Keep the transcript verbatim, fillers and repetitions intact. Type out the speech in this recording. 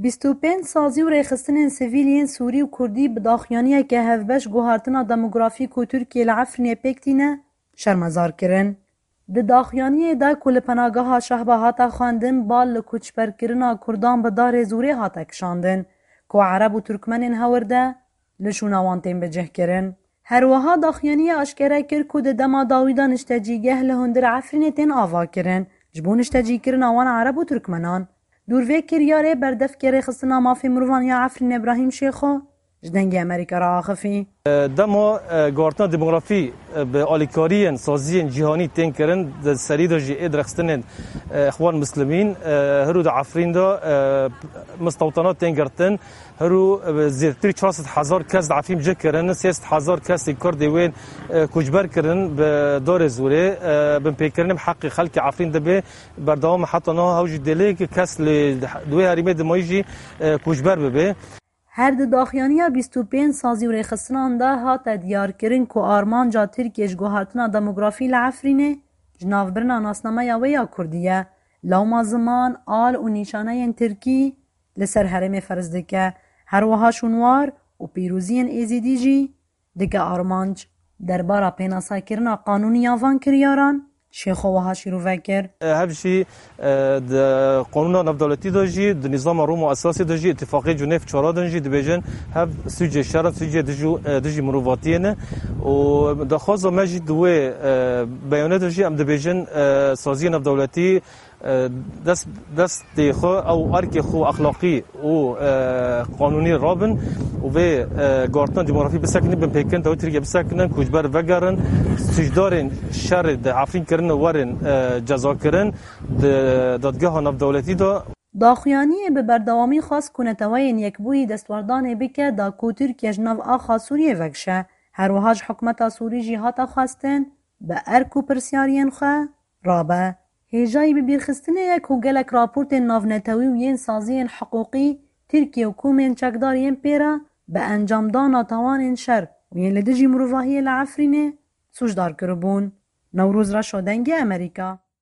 Bîst û pênc sazî û rêxistinên sivîl yên Sûrî û Kurdî bi daxuyaniyeke hevbeş guhartina demografîk ku Tirkiye li Efrînê pêk tîne, şermezar kirin. Di daxuyaniyê de ku li penageha Şehba hate xwendin, bal li koçberkirina Kurdan bi darê zûrê hate kişandin, ku Ereb û Tirkmenên hewirde li şûna wan tên bicihkirin. Her wiha daxuyaniye aşkere kir ku di dema dawî de niştecîgeh li hundir Efrînê tên avakirin, ji bo niştecîkirina wan Ereb û Tirkmenan. Dûr vê kiryarê berdevkê rêxistina mafê mirovan ya Efrînê Îbrahîm Şêxo ji Dengê Amerîka re axifî. Dema, e, guhartina demografî, e, bi alîkariyên saziyên cîhanî tên kirin, di serî de jî ê dirêxistinên, e, Îxwan Muslimîn, e, hiro di Efrîn de, e, mistewtana tên girtin. Hiro, e, zêdetirî çar sed hezar kes di Efrîn cih kirin, sê sed hezar kesê Kurdê wên, e, koçber kirin bi darê zûrê, e, binpêkirinê bi heqê xelkê Efrîn dibe berdewam e. Heta niha hew jî dê lê kes li, di wê herêmê dimayî jî, e, koçber bibe. Her di daxuyaniya bîst û pênc sazî û rêxistinan de hate diyarkirin ku armanca Tirkiye ji guhartina demografî li Efrînê ji navbirina nasnameya wê ya kurdî ye. Lewma ziman, al û nîşaneyên tirkî li ser herêmê ferz dike. Her wiha şûnwar û pîroziyên êzîdî jî dike armanc. Derbara pênasakirina qanûnî ya van kiryaran, Şêxo wiha şîrove kir. Hev jî, e, di qanûna navdewletî de jî, di nîzama Roma Esasê de jî, îtifaqê Cuneyf çara din jî dibêjin, hev sûcê şer in, sûcê dijû, e, dijî mirovatiyê ne. Û daxwaza me jî di wê, e, beyane de jî em dibêjin, e, saziyê navdewletî, e, dest, destê xwe ew erkê xwe exlaqî û, e, qanûnî rabin û vê, e, guhartina demografî bisekinin, binpêkirin dewleta Tirkiye bisekinin, koçber vegerin, sûcdarên şerê di Efrîn kirine werin, e, cezakirin di dadgeha navdewletî de. Daxuyaniyê bi berdewamî xwest ku Neteweyên Yekbûyî destwerdanê bike da ku Tirkiye ji nav axa Sûriyê vekişe. Her wiha ji hikûmeta Sûrî jî hate xwestin bi erk û pirsyariyên xwe rabe. Hêjayî bibîrxistinê ye ku gelek raportên navnetewî û yên saziyên hiqûqî Tirkiye û komên çekdar yên pê re bi encamdana tawanên şer û yên li dijî mirovahiyê li Efrînê sûcdar kiribûn. Newroz Reşo, Dengê Amerîka.